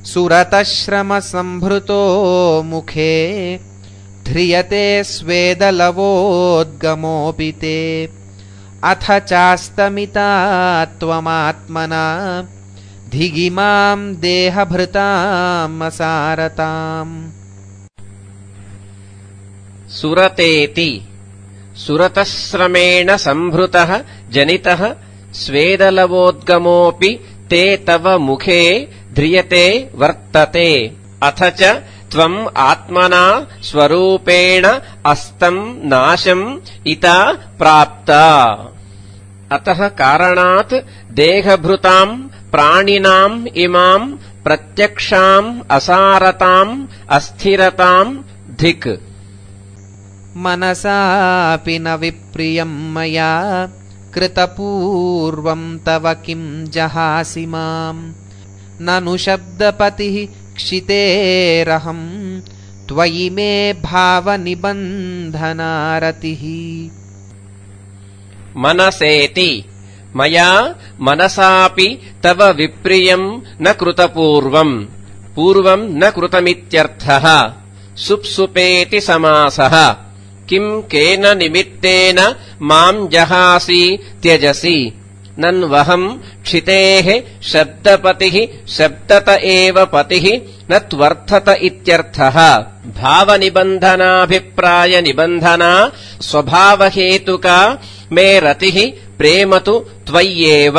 सुरतश्रमसंभृतो मुखे ध्रियते स्वेदलवोद्गमोऽपि ते अथ चास्तमिता त्वमात्मना धिगिमां देहभृताम् असारताम्। सुरतेति सुरतश्रमेण संभृतः जनितः स्वेदलवोद्गमोऽपि ते तव मुखे ध्रियते वर्तते अथ च त्वम् आत्मना स्वरूपेण अस्तम् नाशम् इता प्राप्ता। अतः कारणात् देहभृताम् प्राणिनाम् इमाम् प्रत्यक्षाम् असारताम् अस्थिरताम् धिक्। मनसापि न विप्रियम् मया कृतपूर्वम् तव किं जहासि माम् ननु शब्दपतिः क्षितेरहम् त्वयि मे भावनिबन्धनारतिः। मनसेति मया मनसापि तव विप्रियम् न कृतपूर्वम् पूर्वम् न कृतमित्यर्थः। सुप्सुपेति समासः किम् केन निमित्तेन माम् जहासि त्यजसि नन्वहम् क्षितेः शब्दपतिः शब्दत एव पतिः न त्वर्थत इत्यर्थः। भावनिबन्धनाभिप्रायनिबन्धना स्वभावहेतुका मे रतिः प्रेम तु त्वय्येव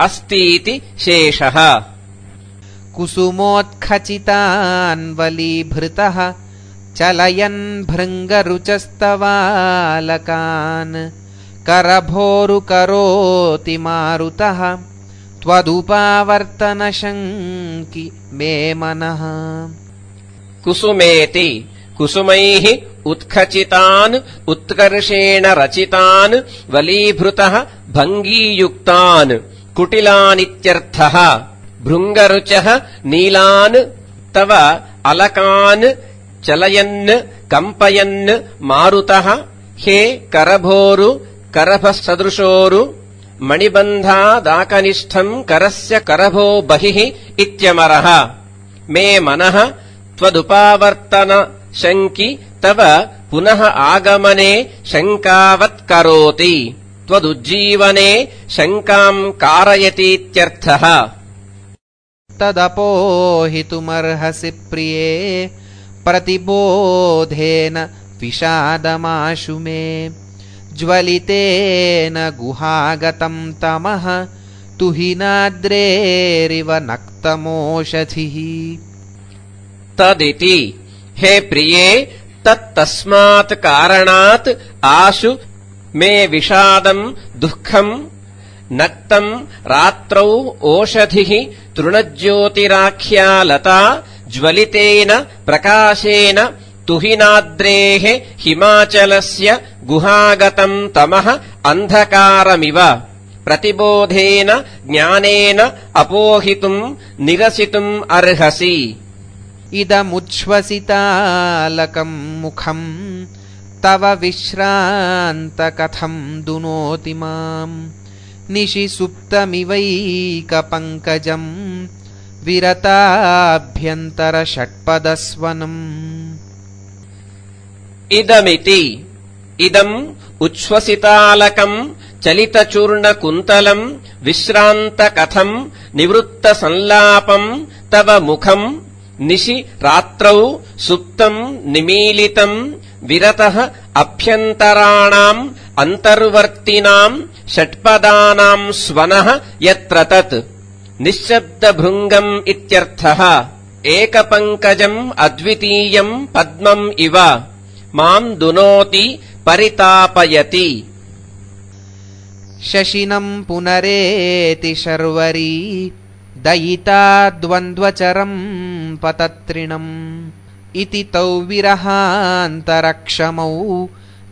अस्तीति शेषः। कुसुमोत्खचितान्वलीभृतः चलयन् भृङ्गरुचस्तवालकान् करभोरुकरोति मारुतः त्वदुपावर्तनशङ्कि मे मनः। कुसुमेति कुसुमैः उत्खचितान् उत्कर्षेण रचितान् वलीभृतः भङ्गीयुक्तान् कुटिलानित्यर्थः। भृङ्गरुचः नीलान् तव अलकान् चलयन् कम्पयन् मारुतः हे करभोरु करभसदृशोरु मणिबन्धादाकनिष्ठम् करस्य करभो बहिः इत्यमरः। मे मनः त्वदुपावर्तन शङ्कि तव पुनः आगमने शङ्कावत् करोति त्वदुज्जीवने शङ्काम् कारयतीत्यर्थः। तदपोहितुमर्हसि प्रिये प्रतिबोधेन विषादमाशु मे ज्वलितेन गुहागतम् तमः तुहिनाद्रेरिव नक्तमोषधिः। तदिति हे प्रिये तत्तस्मात् कारणात् आशु मे विषादम् दुःखम् नक्तम् रात्रौ ओषधिः तृणज्योतिराख्या लता ज्वलितेन प्रकाशेन तुहिनाद्रेः हिमाचलस्य गुहागतम् तमः अन्धकारमिव प्रतिबोधेन ज्ञानेन अपोहितुम् निरसितुम् अर्हसि। इदमुच्छ्वसितालकम् मुखम् तव विश्रान्तकथम् दुनोति माम् निशि सुप्तमिवैकपङ्कजम् विरताभ्यन्तरषट्पदस्वनम्। इदमिति इदम् उच्छ्वसितालकम् चलितचूर्णकुन्तलम् विश्रान्तकथम् निवृत्तसंलापम् तव मुखम् निशि रात्रौ सुप्तम् निमीलितम् विरतः अभ्यन्तराणाम् अन्तर्वर्तिनाम् षट्पदानाम् स्वनः यत्र तत् निश्शब्दभृङ्गम् इत्यर्थः। एकपङ्कजम् अद्वितीयम् पद्मम् इव माम् दुनोति परितापयति। शशिनम् पुनरेति शर्वरी दयिता द्वन्द्वचरम् पतत्रिणम् इति तौ विरहान्तरक्षमौ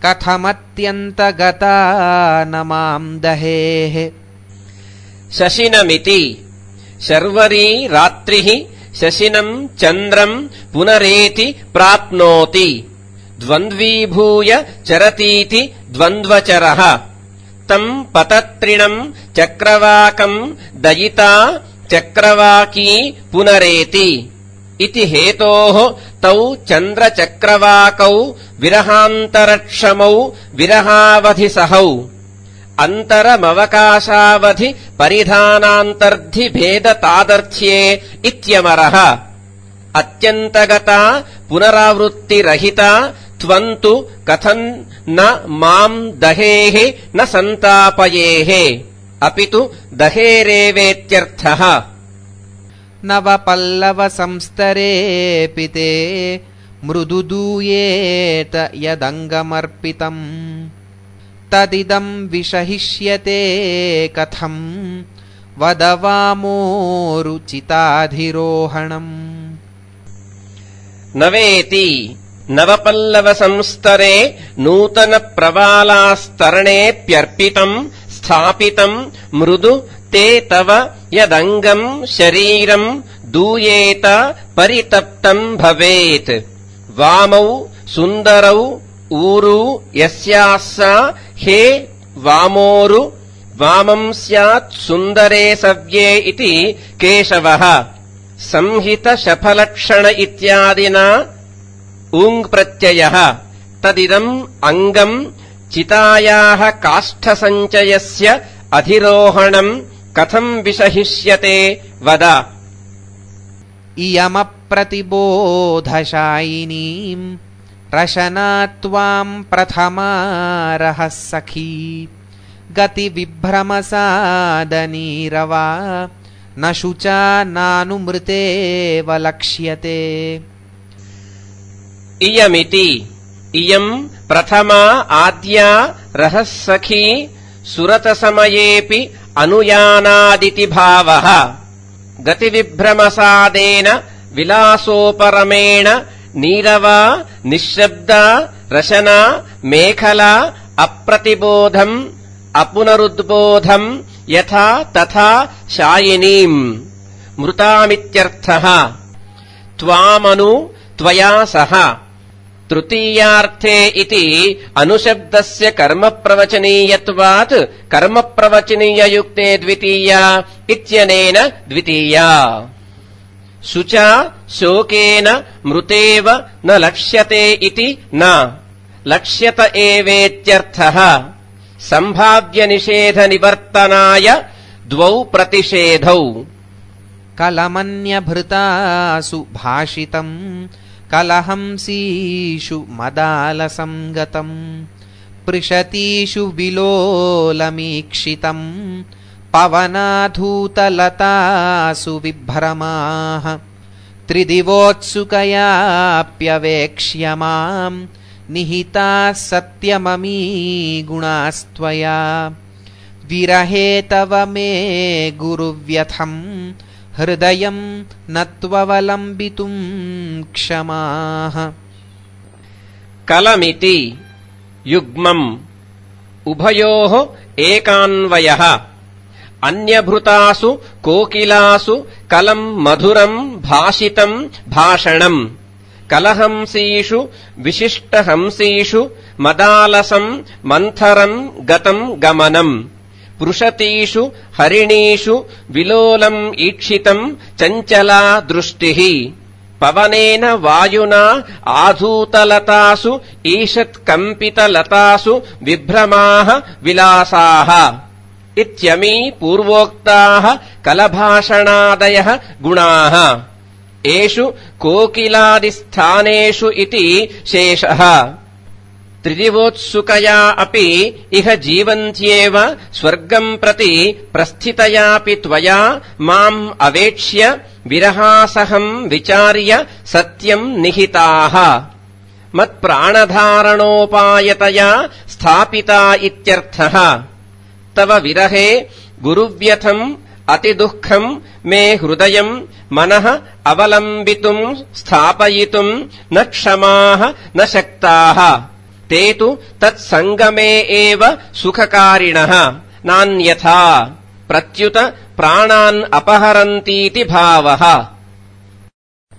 कथमत्यन्तगता न माम् दहेः। शशिनमिति शर्वरी रात्रिः शशिनम् चन्द्रम् पुनरेति प्राप्नोति द्वन्द्वीभूय चरतीति द्वन्द्वचरः। तम् पतत्रिणम् चक्रवाकम् दयिता चक्रवाकी पुनरेति इति हेतोः तौ चन्द्रचक्रवाकौ विरहान्तरक्षमौ विरहावधिसहौ अन्तरमवकाशावधि परिधानान्तर्धि भेदतादर्थ्ये इत्यमरः अत्यन्तगता पुनरावृत्तिरहिता त्वन्तु कथम् न माम् दहेः न सन्तापयेः अपितु दहेरेवेत्यर्थः नवपल्लवसंस्तरेऽपि ते मृदुदूयेत यदङ्गमर्पितम् तदिदम् विषहिष्यते कथम् वद वामोरुचिताधिरोहणम् नवेति नवपल्लवसंस्तरे नूतनप्रवालास्तरणेऽप्यर्पितम् स्थापितम् मृदु ते तव यदङ्गम् शरीरम् दूयेत परितप्तम् भवेत् वामौ सुन्दरौ ऊरू यस्याः सा हे वामोरु वामम् स्यात् सुन्दरे सव्ये इति केशवः संहितशफलक्षण इत्यादिना ऊङ् प्रत्ययः तदिदम् अङ्गम् चितायाः काष्ठसञ्चयस्य अधिरोहणम् कथम् विषहिष्यते वद इयमप्रतिबोधशायिनीम् रशना त्वाम् प्रथमा रहः सखी गतिविभ्रमसादनीरवा न शुचा नानुमृतेव लक्ष्यते इयमिति इयम् प्रथमा आद्या रहः सखी सुरतसमयेऽपि अनुयानादिति भावः गतिविभ्रमसादेन विलासोपरमेण नीरवा निःशब्दा रशना मेखला अप्रतिबोधम् अपुनरुद्बोधम् यथा तथा शायिनीम् मृतामित्यर्थः त्वामनु त्वया सह तृतीयार्थे इति अनुशब्दस्य कर्मप्रवचनीयत्वात् कर्मप्रवचनीययुक्ते द्वितीया इत्यनेन द्वितीया शुचा शोकेन मृतेव न लक्ष्यते इति न लक्ष्यत एवेत्यर्थः सम्भाव्यनिषेधनिवर्तनाय द्वौ प्रतिषेधौ कलमन्यभृतासु भाषितम् कलहंसीषु मदालसंगतम् पृषतीषु विलोलमीक्षितम् पवनाधूतलतासु विभ्रमाः त्रिदिवोत्सुकयाप्यवेक्ष्य माम् निहिताः सत्यममी गुणास्त्वया विरहे तव मे गुरुव्यथम् हृदयम् न त्ववलम्बितुम् क्षमाः कलमिति युग्मम् उभयोः एकान्वयः अन्यभृतासु कोकिलासु कलम् मधुरम् भाषितम् भाषणम् कलहंसीषु विशिष्टहंसीषु मदालसम् मन्थरम् गतम् गमनम् पृषतीषु हरिणीषु विलोलम् ईक्षितम् चञ्चला दृष्टिः पवनेन वायुना आधूतलतासु ईषत्कम्पितलतासु विभ्रमाः विलासाः इत्यमी पूर्वोक्ताः कलभाषणादयः गुणाः एषु कोकिलादिस्थानेषु इति शेषः त्रिदिवोत्सुकया अपि इह जीवन्त्येव स्वर्गम् प्रति प्रस्थितयापि त्वया माम् अवेक्ष्य विरहासहम् विचार्य सत्यम् निहिताः मत्प्राणधारणोपायतया स्थापिता इत्यर्थः तव विरहे गुरुव्यथम् अतिदुःखम् मे हृदयम् मनः अवलम्बितुम् स्थापयितुम् न क्षमाः न शक्ताः ते तु तत्सङ्गमे एव सुखकारिणः नान्यथा प्रत्युत प्राणान् अपहरन्तीति भावः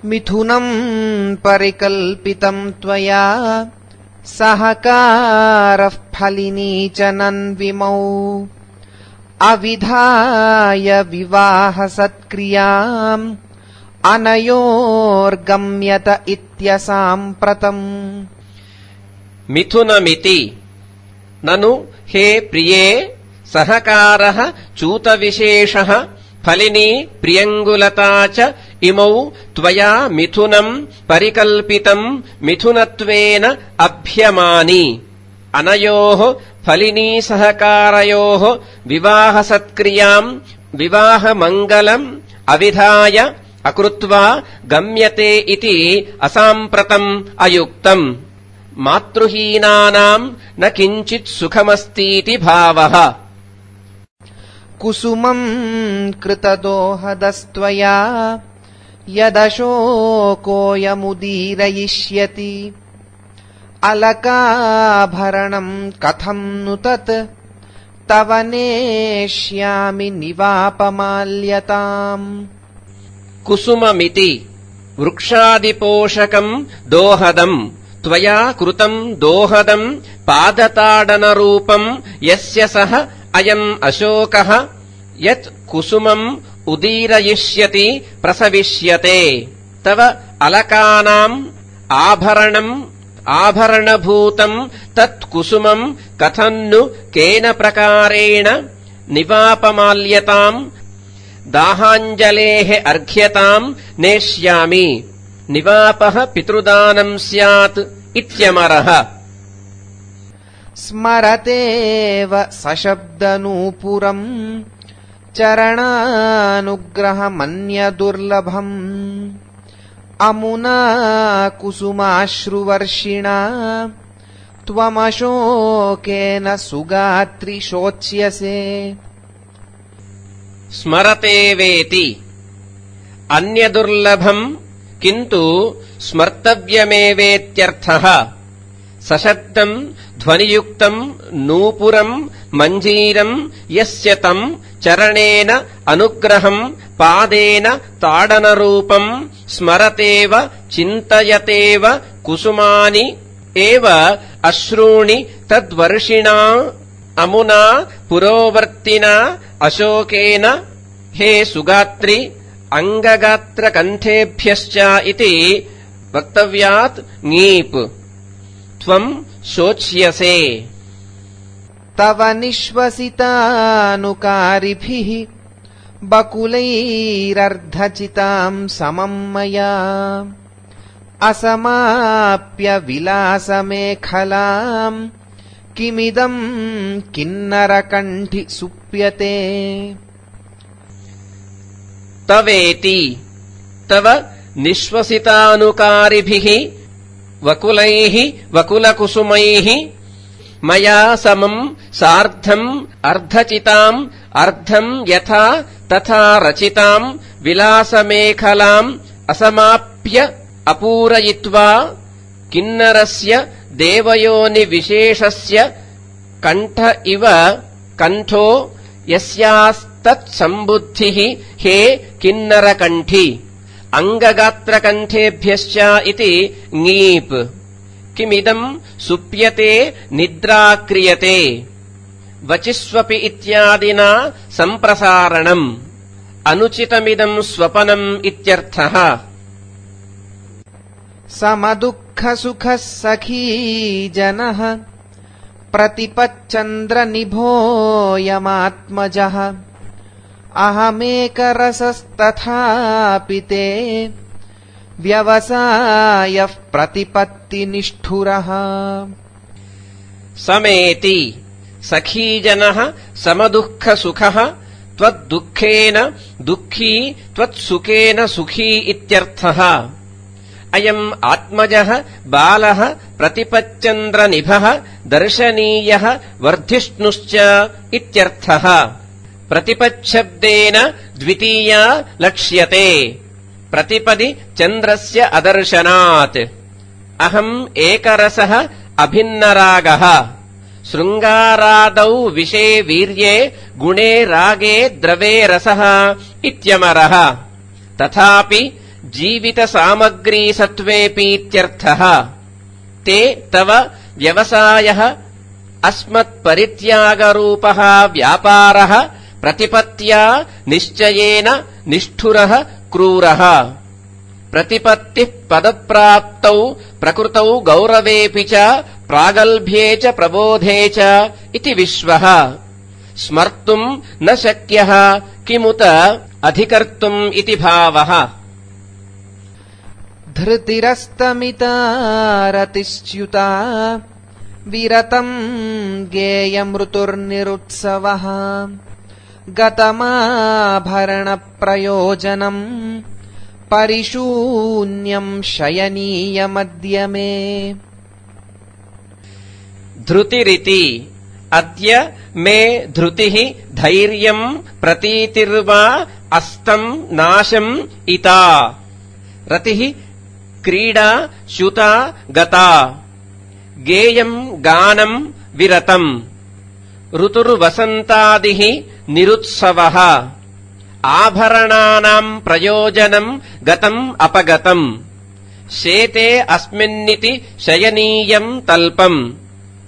मिथुनम् परिकल्पितम् त्वया सहकारः फलिनी च नन्विमौ अविधाय विवाहसत्क्रियाम् अनयोर्गम्यत इत्यसाम्प्रतम्। मिथुनमिति ननु हे प्रिये सहकारः चूतविशेषः फलिनी प्रियङ्गुलता च इमौ त्वया मिथुनम् परिकल्पितम् मिथुनत्वेन अभ्यमानि। अनयोः फलिनी सहकारयोः विवाहसत्क्रियाम् विवाहमङ्गलम् अविधाय अकृत्वा गम्यते इति असाम्प्रतम् अयुक्तम्। मातृहीनानाम् न किञ्चित् सुखमस्तीति भावः। कुसुमम् कृतदोहदस्त्वया यदशोकोऽयमुदीरयिष्यति अलकाभरणम् कथम् नु तत् तव नेष्यामि निवापमाल्यताम्। कुसुममिति वृक्षादिपोषकम् दोहदम् त्वया कृतम् दोहदम् पादताडनरूपम् यस्य सः अयम् अशोकः यत् कुसुमम् उदीरयिष्यति प्रसविष्यते। तव अलकानाम् आभरणभूतम् तत् कुसुमम् कथन्नु केन प्रकारेण निवापमाल्यताम्। दाहाञ्जलेः अर्घ्यताम् नेष्यामि निवापः पितृदानम् स्यात् इत्यमरः। स्मरतेव सशब्दनूपुरम् चरणानुग्रहमन्यदुर्लभम् अमुना कुसुमाश्रुवर्षिणा त्वमशोकेन सुगात्रि शोच्यसे। स्मरतेवेति अन्यदुर्लभम् किन्तु स्मर्तव्यमेवेत्यर्थः। सशब्दम् ध्वनियुक्तम् नूपुरम् मञ्जीरम् यस्य तम् चरणेन अनुग्रहम् पादेन ताडनरूपम् स्मरतेव चिन्तयतेव कुसुमानि एव अश्रूणि तद्वर्षिणा अमुना पुरोवर्तिना अशोकेन हे सुगात्रि अङ्गगात्रकण्ठेभ्यश्च इति वक्तव्यात् ङीप् त्वम् शोच्यसे। तव निःश्वसितानुकारिभिः बकुलैरर्धचिताम् समम् मया असमाप्य विलासमेखलाम् किमिदम् किन्नरकण्ठि सुप्यते। तवेति तव निःश्वसितानुकारिभिः वकुलैः वकुलकुसुमैः मया समम् सार्धम् अर्धचिताम् अर्धम् यथा तथा रचिताम् विलासमेखलाम् असमाप्य अपूरयित्वा किन्नरस्य देवयोनिविशेषस्य कण्ठ इव कण्ठो यस्यास्तत्सम्बुद्धिः हे किन्नरकण्ठी अङ्गगात्रकण्ठेभ्यश्च इति ङीप्। किमिदम् सुप्यते निद्रा क्रियते वचिस्वपि इत्यादिना सम्प्रसारणम् अनुचितमिदम् स्वपनम् इत्यर्थः। समदुःखसुखः सखी जनः प्रतिपच्चन्द्रनिभोऽयमात्मजः अहमेकरसस्तथापि ते व्यवसायः प्रतिपत्तिनिष्ठुरः। समेति सखीजनः समदुःखसुखः त्वद्दुःखेन दुःखी त्वत्सुखेन सुखी इत्यर्थः। अयम् आत्मजः बालः प्रतिपच्चन्द्रनिभः दर्शनीयः वर्धिष्णुश्च इत्यर्थः। प्रतिपच्छब्देन द्वितीया लक्ष्यते प्रतिपदि चन्द्रस्य अदर्शनात्। अहम् एकरसः अभिन्नरागः शृङ्गारादौ विषे वीर्ये गुणे रागे द्रवे रसः इत्यमरः। तथापि जीवितसामग्रीसत्त्वेऽपीत्यर्थः। ते तव व्यवसायः अस्मत्परित्यागरूपः व्यापारः प्रतिपत्त्या निश्चयेन निष्ठुरः क्रूरः प्रतिपत्तिः पदप्राप्तौ प्रकृतौ गौरवेऽपि च प्रागल्भ्ये च प्रबोधे च इति विश्वः स्मर्तुम् न शक्यः किमुत अधिकर्तुम् इति भावः धृतिरस्तमिता रतिश्च्युता विरतम् गेयमृतुर्निरुत्सवः गतमाभरणप्रयोजनम् परिशून्यम् शयनीयमद्य मे धृतिरिति अद्य मे धृतिः धैर्यम् प्रतीतिर्वा अस्तम् नाशम् इता रतिः क्रीडा च्युता गता गेयम् गानम् विरतम् ऋतुर्वसन्तादिः निरुत्सवः आभरणानाम् प्रयोजनम् गतम् अपगतम् शेते अस्मिन्निति शयनीयम् तल्पम्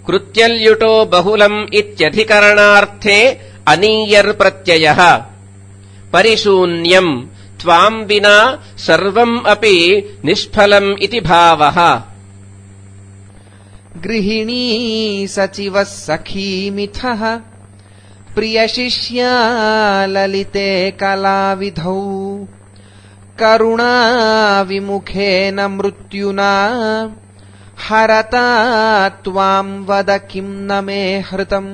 कृत्यल्युटो बहुलम् इत्यधिकरणार्थे अनीयर्प्रत्ययः परिशून्यम् त्वाम् विना सर्वम् अपि निष्फलम् इति भावः गृहिणी सचिवः सखीमिथः प्रियशिष्या ललिते कलाविधौ करुणाविमुखेन मृत्युना हरता त्वाम् वद किम् न मे हृतम्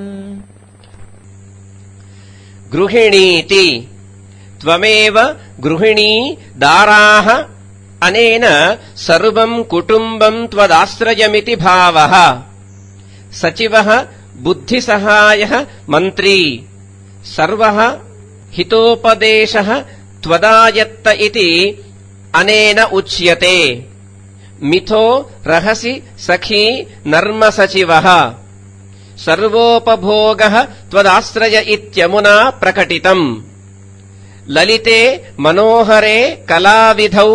गृहिणीति त्वमेव गृहिणी दाराः अनेन सर्वम् कुटुम्बम् त्वदाश्रयमिति भावः सचिवः बुद्धिसहायः मन्त्री सर्वः हितोपदेशः त्वदायत्त इति अनेन उच्यते मिथो रहसि सखी नर्मसचिवः सर्वोपभोगः त्वदाश्रय इत्यमुना प्रकटितम् ललिते मनोहरे कलाविधौ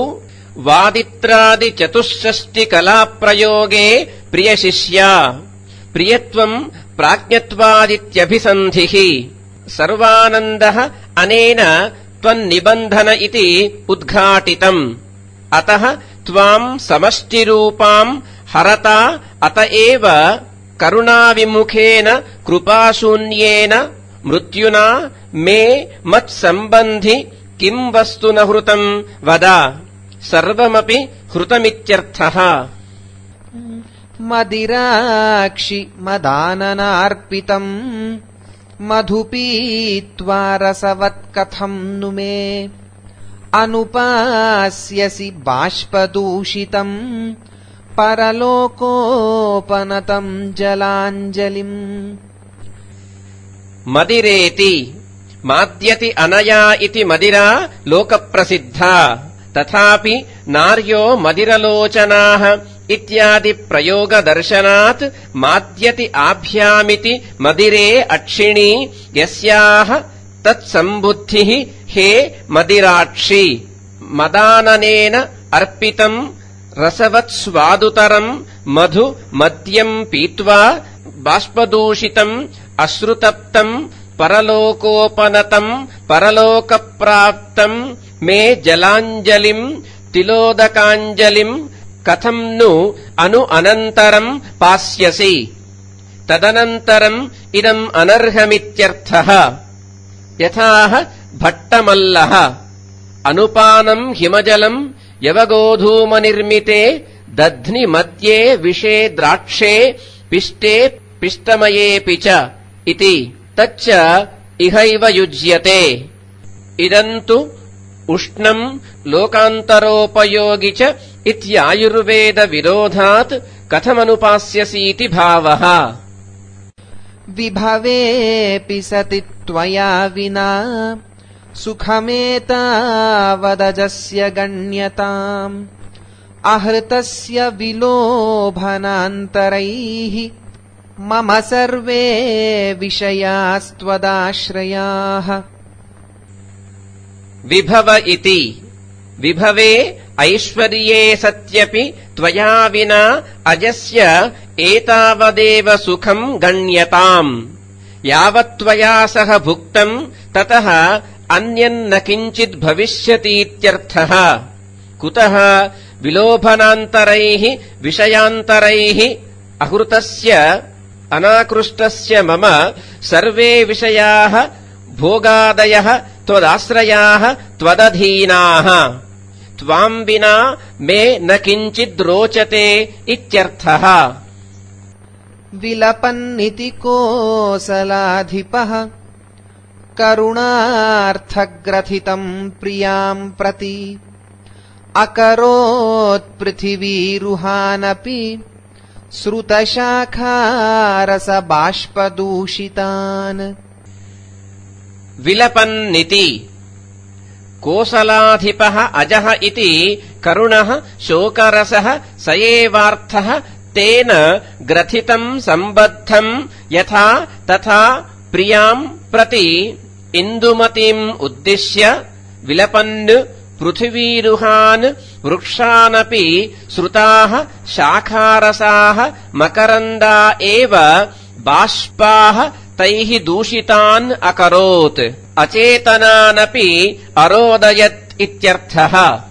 वादित्रादिचतुष्षष्टिकलाप्रयोगे प्रियशिष्या प्रियत्वम् प्राज्ञत्वादित्यभिसन्धिः सर्वानन्दः अनेन त्वन्निबन्धन इति उद्घाटितम् अतः त्वाम् समष्टिरूपाम् हरता अत एव करुणाविमुखेन कृपाशून्येन मृत्युना मे मत्सम्बन्धि किम् वस्तु न हृतम् वद सर्वमपि हृतमित्यर्थः मदिराक्षि मदाननार्पितम् मधुपीत्वा रसवत्कथम् नु मे अनुपास्यसि बाष्पदूषितम् परलोकोपनतम् जलाञ्जलिम् मदिरेति माद्यति अनया इति मदिरा लोकप्रसिद्धा तथापि नार्यो मदिरलोचनाः इत्यादि प्रयोगदर्शनात् माद्यति आभ्यामिति मदिरे अक्षिणी यस्याः तत्सम्बुद्धिः हे मदिराक्षि मदाननेन अर्पितम् रसवत्स्वादुतरम् मधु मद्यम् पीत्वा बाष्पदूषितम् अश्रुतप्तम् परलोकोपनतम् परलोकप्राप्तम् मे जलाञ्जलिम् तिलोदकाञ्जलिम् कथम् नु अनु अनन्तरम् पास्यसि तदनन्तरम् इदम् अनर्हमित्यर्थः यथाह भट्टमल्लः अनुपानम् हिमजलम् यवगोधूमनिर्मिते दध्नि मध्ये विषे द्राक्षे पिष्टे पिष्टमयेऽपि च इति तच्च इहैव युज्यते इदन्तु उष्णम् लोकान्तरोपयोगि च इत्यायुर्वेदविरोधात् कथमनुपास्यसीति भावः विभवेऽपि सति त्वया विना सुखमेतावदजस्य गण्यताम् आहृतस्य विलोभनान्तरैः मम सर्वे विषयास्त्वदाश्रयाः विभव इति विभवे ऐश्वर्ये सत्यपि त्वया विना अजस्य एतावदेव सुखम् गण्यताम् यावत्त्वया सह भुक्तम् ततः अन्यन्न किञ्चित् भविष्यतीत्यर्थः। कुतः विलोभनान्तरैः विषयान्तरैः अहृतस्य अनाकृष्टस्य मम सर्वे विषयाः भोगादयः त्वदाश्रयाः त्वदधीनाः त्वाम् विना मे न किञ्चिद् रोचते इत्यर्थः। विलपन्निति कोसलाधिपः करुणार्थग्रथितम् प्रियाम् प्रति अकरोत्पृथिवीरुहानपि श्रुतशाखारसबाष्पदूषितान्। विलपन्निति कोसलाधिपः अजः इति करुणः शोकरसः स एवार्थः तेन ग्रथितम् सम्बद्धम् यथा तथा प्रियाम् प्रति इन्दुमतीम् उद्दिश्य विलपन् पृथिवीरुहान् वृक्षानपि श्रुताः शाखारसाः मकरन्दा एव बाष्पाः तैः दूषितान् अकरोत् अचेतनानपि अरोदयत् इत्यर्थः।